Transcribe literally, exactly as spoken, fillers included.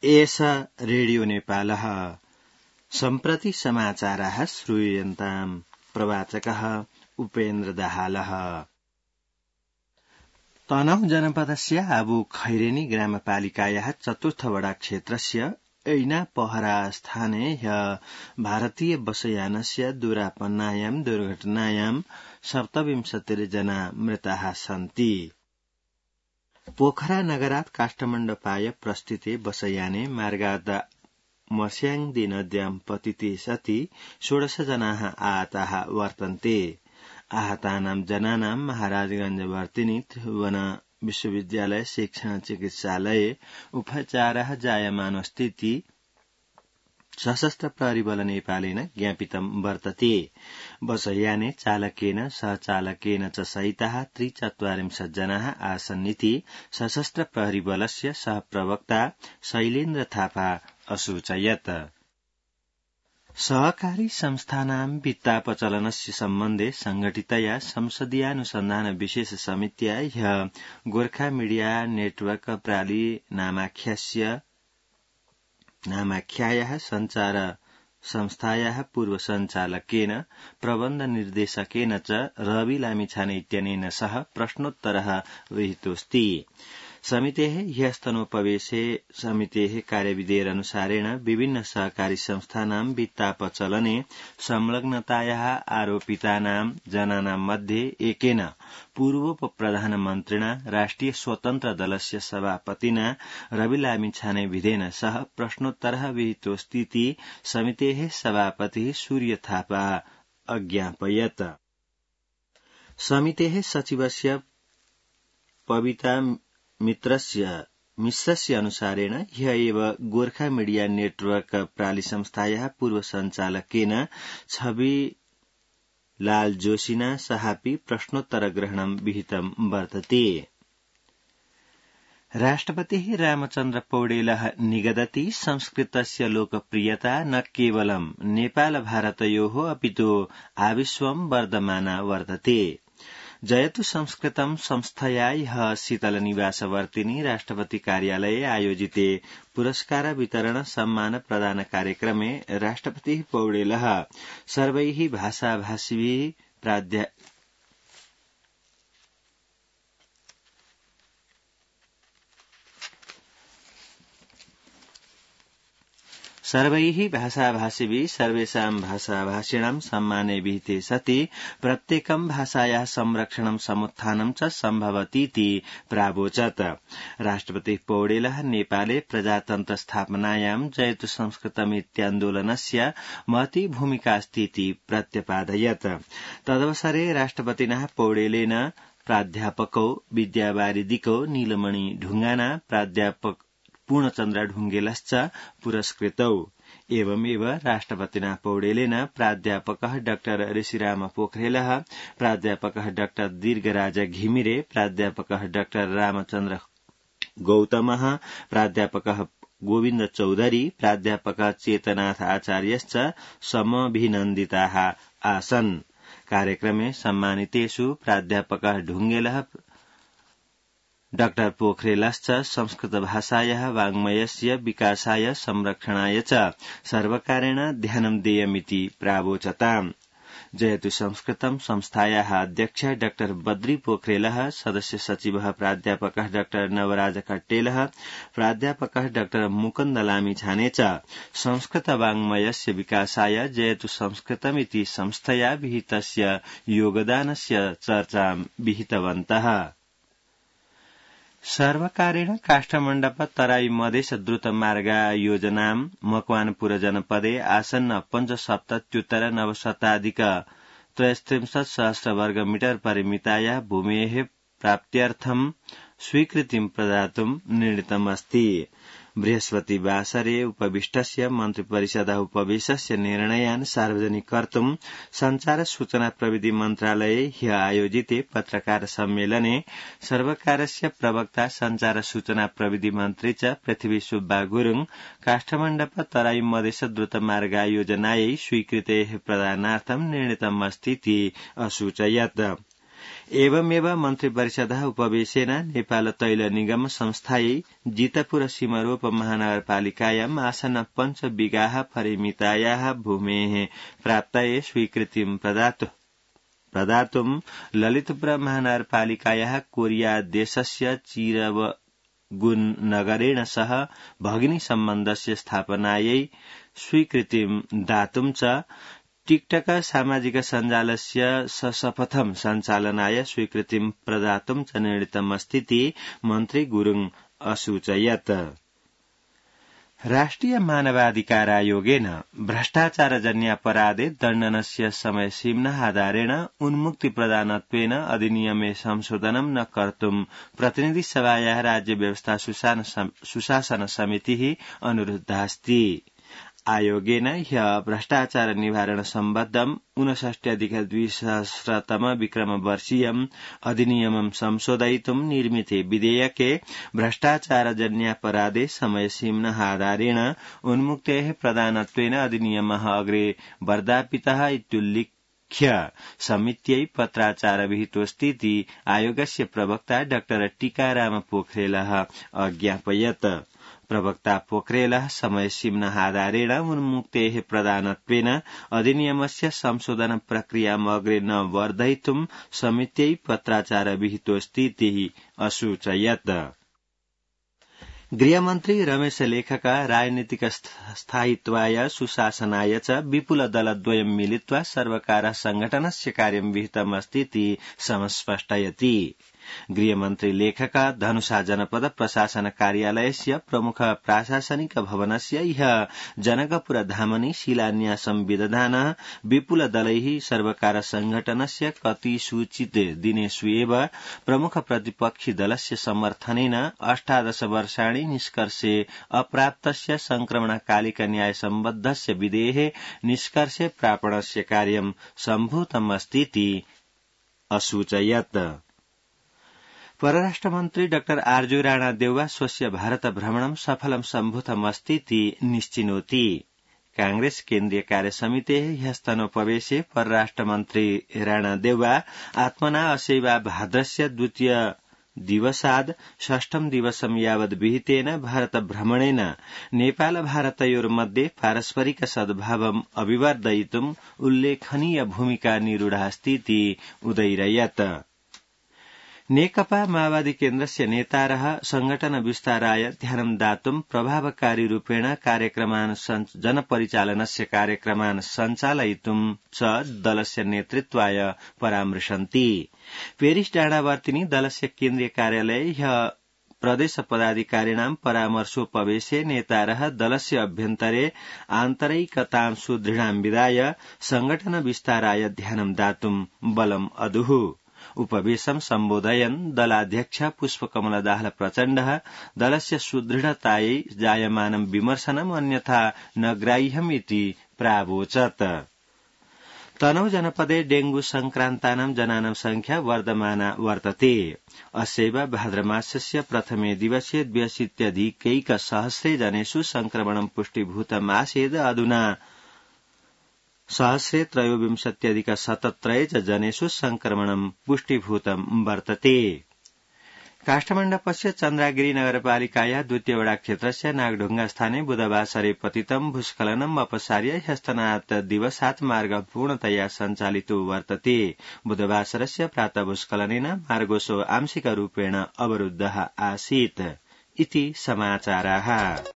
एष रेडियो नेपालः सम्प्रति समाचाराः श्रूयन्ताम् प्रवाचकः उपेन्द्र दाहालः। तनहुँ जनपदस्य आबु खैरेनी ग्रामपालिकायाः चतुर्थ वडा क्षेत्रस्य ऐना पहरा स्थाने ह्य भारतीय बसयानस्य दूरापन्नायां दुर्घटनायां सप्तविंशतिर्जना मृताः सन्ति। पोखरा नगरात् काष्ठमण्डपाय प्रस्थिते बसयाने मार्गात् मस्याङदी नद्यां पतिते सति षोडश जनाः आहताः वर्तन्ते। आहतानां जनानां महाराजगंज वर्तिनी त्रिभुवन विश्वविद्यालय शिक्षण चिकित्सालये उपचारः जायमानस्थिति सशस्त्र प्रहरी बल नेपालेन ज्ञापितं वर्तते। बसयाने चालकेन सहचालकेन च सहिताः त्रिचत्वारिंशत् जनाः आसन्निति सशस्त्र प्रहरी बलस्य सहप्रवक्ता शैलेन्द्र थापा असूचयत्। सहकारी संस्थानां वित्तापचलनस्य सम्बन्धे संघटितया संसदीयानुसन्धान विशेष समित्या ह्य गोर्खा मीडिया नेटवर्क प्राली नामाख्यस्य नामाख्यायाः संचार संस्थायाः पूर्व संचालकेन प्रबन्ध निर्देशकेन च रवि लामिछाने इत्यनेन सह प्रश्नोत्तरः विहितोऽस्ति। समितेः ह्यस्तनोपवेशे समितेः कार्यविधेयनुसारेण विभिन्न सहकारी संस्थानां वित्तापचलने संलग्नतायाः आरोपितानां जनानां मध्ये एकेन पूर्व प्रधानमन्त्रिणा राष्ट्रिय स्वतन्त्र दलस्य सभापतिना रवि लामिछाने विधेन सह प्रश्नोत्तरः विहितोऽस्तीति समितेः सभापतिः सूर्य थापा अज्ञापयत्। समितेः सचिवस्य पविता मित्रस्य मिश्रस्य अनुसारेण ह्य एव गोर्खा मीडिया नेटवर्क प्राली संस्थायाः पूर्व संचालकेन छवि लाल जोशिना सहापि प्रश्नोत्तर ग्रहणं विहितं वर्तते। राष्ट्रपतिः रामचन्द्र पौडेलः निगदति संस्कृतस्य लोकप्रियता न केवलं नेपाल भारतयोः अपितु आविश्वं वर्धमाना वर्तते। जयतु संस्कृतं संस्थया ह्य शीतलनिवासवर्तिनी राष्ट्रपति कार्यालये आयोजिते पुरस्कार वितरण सम्मान प्रदान कार्यक्रमे राष्ट्रपतिः पौडेलः सर्वैः भाषाभाषिभिः प्राध्या सर्वैः भाषाभाषिभिः सर्वेषां भाषाभाषिणां सम्माने विहिते सति प्रत्येकं भाषायाः संरक्षणं समुत्थानं च सम्भवतीति प्रावोचत्। राष्ट्रपतिः पौडेलः नेपाले प्रजातन्त्र स्थापनायां जयतु संस्कृतमित्यान्दोलनस्य महती भूमिकास्तीति प्रत्यपादयत्। तदवसरे राष्ट्रपतिनः पौडेलेन प्राध्यापकौ विद्यावारिदिकौ नीलमणि ढुङ्गाना प्राध्यापक पूर्णचन्द्र ढुङ्गेलश्च पुरस्कृतौ। एवमेव राष्ट्रपतिना पौडेलेन प्राध्यापकः डाक्टर ऋषिराम पोखरेलः, प्राध्यापकः डाक्टर दीर्घराज घिमिरे, प्राध्यापकः डाक्टर रामचन्द्र गौतमः, प्राध्यापकः गोविन्द चौधरी, प्राध्यापकः चेतनाथ आचार्यश्च समभिनन्दिताः आसन्। कार्यक्रमे सम्मानितेषु प्राध्यापकः ढुङ्गेलः डाक्टर पोखरेलश्च संस्कृतभाषायाः वाङ्मयस्य विकासाय संरक्षणाय च सर्वकारेण ध्यानं देयमिति प्रावोचताम्। जयतु संस्कृतं संस्थायाः अध्यक्ष डाक्टर बद्री पोखरेलः, सदस्य सचिवः प्राध्यापकः डाक्टर नवराज कट्टेलः, प्राध्यापकः डाक्टर मुकुन्द लामिछाने च संस्कृत वाङ्मयस्य विकासाय जयतु संस्कृतमिति संस्थया विहितस्य योगदानस्य चर्चां विहितवन्तः। सर्वकारेण काष्ठमण्डप तराई मधेस द्रुत मार्ग योजनां मकवानपुर जनपदे आसन्न पञ्चसप्तत्युत्तर नवशताधिक त्रयस्त्रिंशत् सहस्र वर्ग मीटर परिमितायाः भूमेः प्राप्त्यर्थं स्वीकृतिं प्रदातुं निर्णीतमस्ति। बृहस्पतिवासरे उपविष्टस्य मन्त्रिपरिषदः उपवेशस्य निर्णयान् सार्वजनिक कर्तुं संचार सूचना प्रविधि मन्त्रालये ह्य आयोजिते पत्रकार सम्मेलने सर्वकारस्य प्रवक्ता संचार सूचना प्रविधि मन्त्री च पृथ्वी सुब्बा गुरुङ काष्ठमण्डप तराई मधेस द्रुतमार्ग योजनायै स्वीकृतेः प्रदानार्थं निर्णीतमस्तीति असूचयत्। एवमेव मन्त्री परिषदः उपवेशेन नेपाल तैल निगम संस्थायै जितपुर सिमरोप महानगरपालिकायाम् आसन्न पञ्च बिगाः परिमितायाः भूमेः प्राप्तये स्वीकृतिं प्रदातु प्रदातुं ललितपुर महानगरपालिकायाः कोरिया देशस्य चिरवगुन नगरेण सह भगिनी सम्बन्धस्य स्थापनायै स्वीकृतिं दातुं च टिकटक सामाजिक सञ्जालस्य सशपथं सञ्चालनाय स्वीकृतिं प्रदातुं च निर्णीतमस्तीति मन्त्री गुरुङ असूचयत्। राष्ट्रिय मानवाधिकारायोगेन भ्रष्टाचारजन्यापराधे दण्डनस्य समयसीम्ना आधारेण उन्मुक्ति प्रदानत्वेन अधिनियमे संशोधनं न कर्तुं प्रतिनिधि सभायाः राज्य व्यवस्था सुशासन समितिः अनुरुद्धास्ति। आयोगेन ह्यः भ्रष्टाचार निवारण सम्बद्धम् ऊनषष्ट्यधिक द्विसहस्रतम विक्रम वर्षीयम् अधिनियमं संशोधयितुं निर्मिते विधेयके भ्रष्टाचारजन्यापराधे समयसीम्ना आधारेण उन्मुक्तेः प्रदानत्वेन अधिनियमः अग्रे वर्धापितः इत्युल्लिख्य समित्यै पत्राचार विहितोऽस्तीति आयोगस्य प्रवक्ता डाक्टर टीकाराम पोखरेलः अज्ञापयत्। प्रवक्ता पोखरेलः समयसीम्ना आधारेण उन्मुक्तेः प्रदानत्वेन अधिनियमस्य संशोधन प्रक्रियाम् अग्रे न वर्धयितुं समित्यै पत्राचार विहितोऽस्तीति असूचयत्। गृहमन्त्री रमेश लेखक राजनीतिक स्थायित्वाय सुशासनाय च विपुल दलद्वयं मिलित्वा सर्वकारः संघटनस्य कार्यं विहितमस्तीति समस्पष्टयति। गृहमन्त्री लेखक धनुषा जनपद प्रशासन कार्यालयस्य प्रमुख प्राशासनिक भवनस्य ह्यः जनकपुर धामनि शिलान्यासं विदधानः विपुल दलैः सर्वकार संघटनस्य कतिसूचित दिनेषु एव प्रमुख प्रतिपक्षि दलस्य समर्थनेन अष्टादश वर्षाणि निष्कर्षे अप्राप्तस्य संक्रमणकालिक न्याय सम्बद्धस्य विधेः निष्कर्षे प्रापणस्य कार्यं सम्भूतमस्तीति असूचयत्। परराष्ट्रमन्त्री डाक्टर आर्जू राणादेउवा स्वस्य भारत भ्रमणं सफलं सम्भूतमस्तीति निश्चिनोति। कांग्रेस केन्द्रीय कार्यसमितेः ह्यस्तनोपवेशे परराष्ट्रमन्त्री राणादेउवा आत्मना असैवा भाद्रस्य द्वितीय दिवसाद् षष्ठं दिवसं यावद् विहितेन भारत भ्रमणेन नेपाल भारतयोर्मध्ये पारस्परिक सद्भावम् अभिवर्धयितुम् उल्लेखनीय भूमिका निरूढास्तीति उदैरयत्। नेकपा माओवादी केन्द्रस्य नेतारः संघटन विस्ताराय ध्यानं दातुं प्रभावकारी रूपेण कार्यक्रमान् जनपरिचालनस्य कार्यक्रमान् सञ्चालयितुं च दलस्य नेतृत्वाय परामृशन्ति। पेरिस डाँडावर्तिनि दलस्य केन्द्रीय कार्यालये ह्यः प्रदेश पदाधिकारिणां परामर्शोपवेशे नेतारः दलस्य अभ्यन्तरे आन्तरिकतां सुदृढां विधाय संघटन विस्ताराय ध्यानं दातुं बलम् अदुः। उपवेशं सम्बोधयन् दलाध्यक्ष पुष्पकमल दाहाल प्रचण्डः दलस्य सुदृढतायै जायमानं विमर्शनम् अन्यथा न ग्राह्यमिति प्रावोचत्। तनहु जनपदे डेंगू संक्रान्तानां जनानां संख्या वर्धमाना वर्तते। अस्यैव भाद्रमासस्य प्रथमे दिवसे द्व्यशीत्यधिकैकसहस्रे जनेषु संक्रमणं पुष्टिभूतमासीद्। अधुना सहस्रे त्रयोविंशत्यधिक शतत्रये च जनेषु संक्रमणं पुष्टिभूतं वर्तते। काष्ठमण्डपस्य चन्द्रागिरी नगरपालिकायाः द्वितीय वडा क्षेत्रस्य नागढुङ्गा स्थाने बुधवासरे पतितं भूस्खलनम् अपसार्य ह्यस्तनात् दिवसात् मार्ग पूर्णतया सञ्चालितो वर्तते। बुधवासरस्य प्रातः भूस्खलनेन मार्गोऽसो आंशिकरूपेण अवरुद्धः आसीत् इति समाचाराः।